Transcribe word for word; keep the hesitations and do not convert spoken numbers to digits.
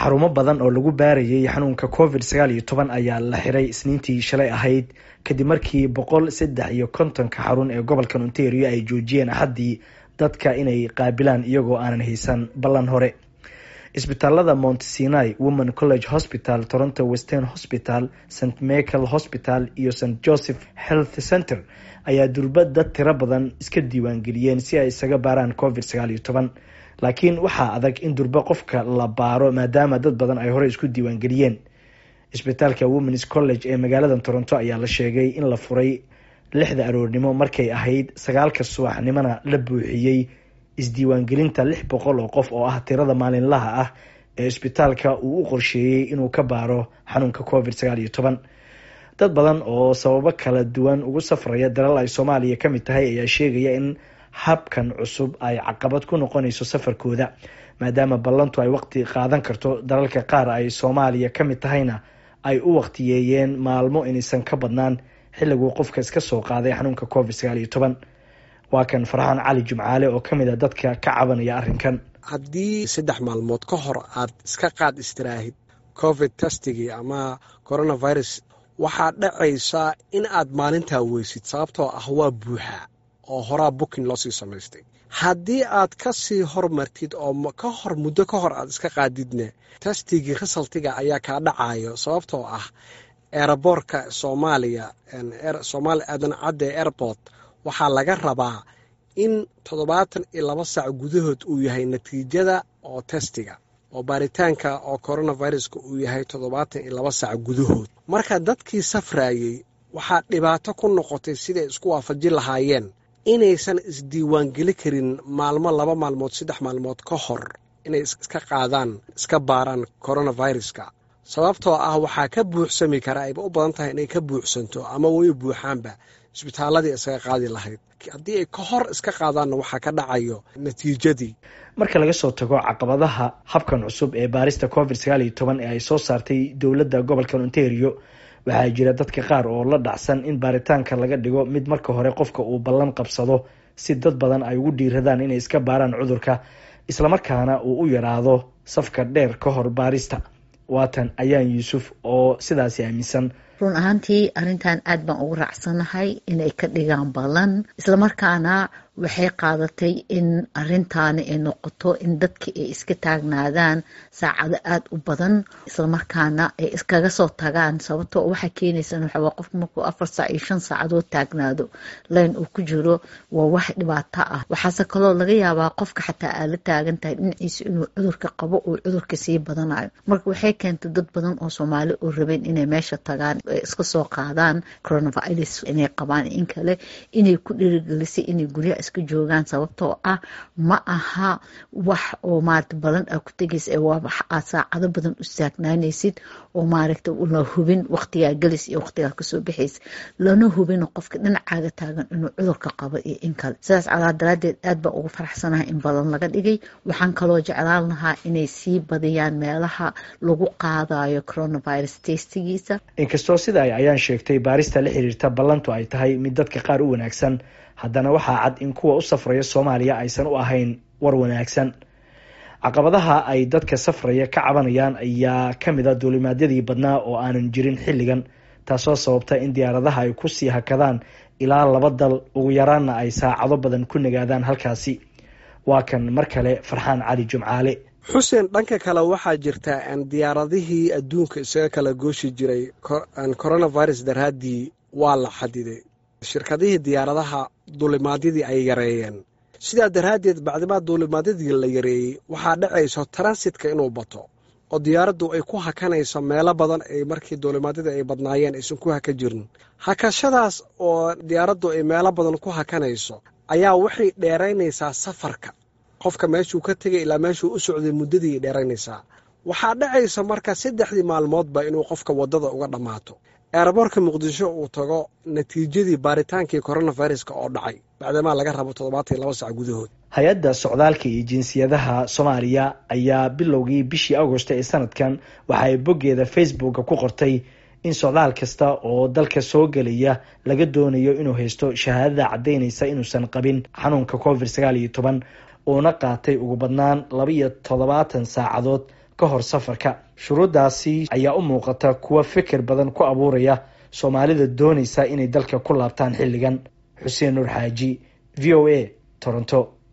Xarumo badan oo lagu baarayay xanuunka covid sagaal iyo toban ayaa la xiray Isniintii shalay ahayd, kadib markii boqol saddex iyo kontonka xarun ee gobolkan Ontario ay joojiyeen Axaddii dadka inay qaabilaan iyagoo aanan haysan ballan hore. Isbitaalada Mount Sinai Women College Hospital, Toronto Western Hospital, St Michael Hospital iyo St Joseph Health Center ayaa durba dad tiro badan iska diiwaangeliyeen si ay isaga baaraan covid sagaal iyo toban, laakiin waxaa adag in durba qofka la baaro maadaama dad badan ay horey isku diiwaangeliyeen. Isbitaalka Women's College ee magaalada Toronto ayaa la sheegay in la furay lixda aroornimo, markay ahayd sagaalka subaxnimona la buuxiyey isdiiwaangelinta lix boqol oo qof, oo ah tirada maalinlaha ah ee isbitaalka uu u qorsheeyey inuu ka baaro xanuunka covid sagaal iyo toban. Dad badan oo sababo kala duwan ugu safraya dalal ay Soomaaliya ka mid tahay ayaa sheegaya in habkan cusub ay caqabad ku noqonayso safarkooda, maadaama ballantu ay waqti qaadan karto. Dalalka qaar ay Soomaaliya ka mid tahayna ay u waqtiyeeyeen maalmo inaysan ka badnaan xilliguu qofka iska soo qaaday xanuunka covid sagaal iyo toban. Waa kan Farxaan Cali Jumcaale oo ka mid ah dadka ka cabanaya arrinkan. Haddii saddex maalmood ka hor aad iska qaad istiraahid covid testigii ama coronavirus, waxaa dhacaysaa in aad maalintaa weysid, sababtoo ah waa buuxaa oo horaa booking loo sii samaystay. Haddii aad ka sii hormartid oo ka hor muddo ka hor aad iska qaadidne, testigii resultiga ayaa kaa dhacayo, sababtoo ah airportka Soomaaliya, Soomaali Aadan Cadde Airport, waxaa laga rabaa in toddobaatan iyo laba saac gudahood uu yahay natiijada oo testiga oo baaritaanka oo coronaviruska uu yahay toddobaatan iyo laba saac gudahood. Marka dadkii safraayey waxaa dhibaato ku noqotay siday isku waafajin lahaayeen inaysan isdiiwaangeli karin maalmo, laba maalmood, saddex maalmood ka hor inay iska qaadaan, iska baaraan coronaviruska, sababtoo ah waxaa ka buuxsami kara, ayba u badan tahay inay ka buuxsanto ama way buuxaanba isbitaaladii isaga qaadi lahayd. Haddii ay ka hor iska qaadaanna, waxaa ka dhacayo natiijadii. Marka laga soo tago caqabadaha habkan cusub ee baarista covid sagaal iyo toban ee ay soo saartay dowladda gobolka Ontario, waxaa jira dadka qaar oo la dhacsan in baaritaanka laga dhigo mid marka hore qofka uu ballan qabsado, si dad badan ay ugu dhiiradaan inay iska baaraan cudurka, islamarkaana uu u yaraado safka dheer ka hor baarista. Waatan Ayaan Yuusuf oo sidaasi aaminsan. Run ahaantii arrintan aad baan ugu raacsanahay inay ka dhigaan ballan, islamarkaana waxay qaadatay in arintaani ay noqoto in dadki ay iska taagnaadaan saacado aada u badan, islamarkaana ay iskaga soo tagaan. Sababtoo waxaa keenaysa waxaa qofku markuu afar saac iyo shan saacadood taagnaado line uu ku jiro, waa wax dhibaato ah. Waxaase kaloo laga yaabaa qofka xataa aad la taagan tahay dhinaciisa inuu cudurka qabo, uu cudurka sii badanayo. Marka waxay keentay dad badan oo Soomaali oo rabeen inay meesha tagaan, ay iska soo qaadaan coronavirus inay qabaan in kale, inay ku dhiirigelisay inay guryaha iska joogaan, sababtoo ah ma aha wax oo maarata balan aa ku tegaysa ee waa wax aad saacado badan u taagnaanaysid oo maaragta la hubin waqtigaa gelis iyo waqtigaa kasoo baxaysa, lana hubin qofka dhinacaaga taagan inuu cudurka qabo iyo in kale. Sidaas calaa daraadeed aad baan ugu faraxsanahay in balan laga dhigay. Waxaan kaloo jeclaan lahaa inay sii badiyaan meelaha lagu qaadayo coronavirus testigiisa. Inkastoo sida ay Ayaan sheegtay baarista la xiriirta ballantu ay tahay mid dadka qaar u wanaagsan, haddana waxaa cad in kuwa u safraya Soomaaliya aysan u ahayn war wanaagsan. Caqabadaha ay dadka safraya ka cabanayaan ayaa ka mid ah duulimaadyadii badnaa oo aanan jirin xilligan, taasoo sababta in diyaaradaha ay kusii hakadaan ilaa laba dal, ugu yaraanna ay saacado badan ku nagaadaan halkaasi. Waa kan mar kale Farxaan Cali Jumcaale. Xuseen, dhanka kale waxaa jirta diyaaradihii adduunka isaga kala gooshi jiray coronavirus daraaddii waa la xadiday. Shirkadihii diyaaradaha duulimaadyadii ay yareeyeen. Sidaa daraaddeed, bacdimaa duulimaadyadii la yareeyey, waxaa dhacayso transitka inuu bato oo diyaaraddu ay ku hakanayso meelo badan ay markii duulimaadyadii ay badnaayeen aysan ku haka jirin. Hakashadaas oo diyaaraddu ay meelo badan ku hakanayso ayaa waxay dheeraynaysaa safarka qofka, meeshuu ka tegay ilaa meeshuu u socday muddadii ay dheeraynaysaa. Waxaa dhacaysa marka saddexdii maalmoodba inuu qofka waddada uga dhammaato, airportka Muqdisho uu tago natiijadii baaritaankii coronaviruska oo dhacay, bacdamaa laga rabo toddobaatan iyo laba sac gudahood. Hay-adda Socdaalka iyo Jinsiyadaha Soomaaliya ayaa bilowgii bishii Agosto ee sanadkan waxa ay boggeeda Facebooka ku qortay in socdaal kasta oo dalka soo gelaya laga doonayo inuu haysto shahaadada caddaynaysa inuusan qabin xanuunka covid sagaal iyo toban, uuna qaatay ugu badnaan laba iyo toddobaatan saacadood ka hor safarka. Shuruuddaasi ayaa u muuqata kuwa fikir badan ku abuuraya Soomaalida doonaysa inay dalka ku laabtaan xilligan. Xuseen Nuur Xaaji, V O A, Toronto.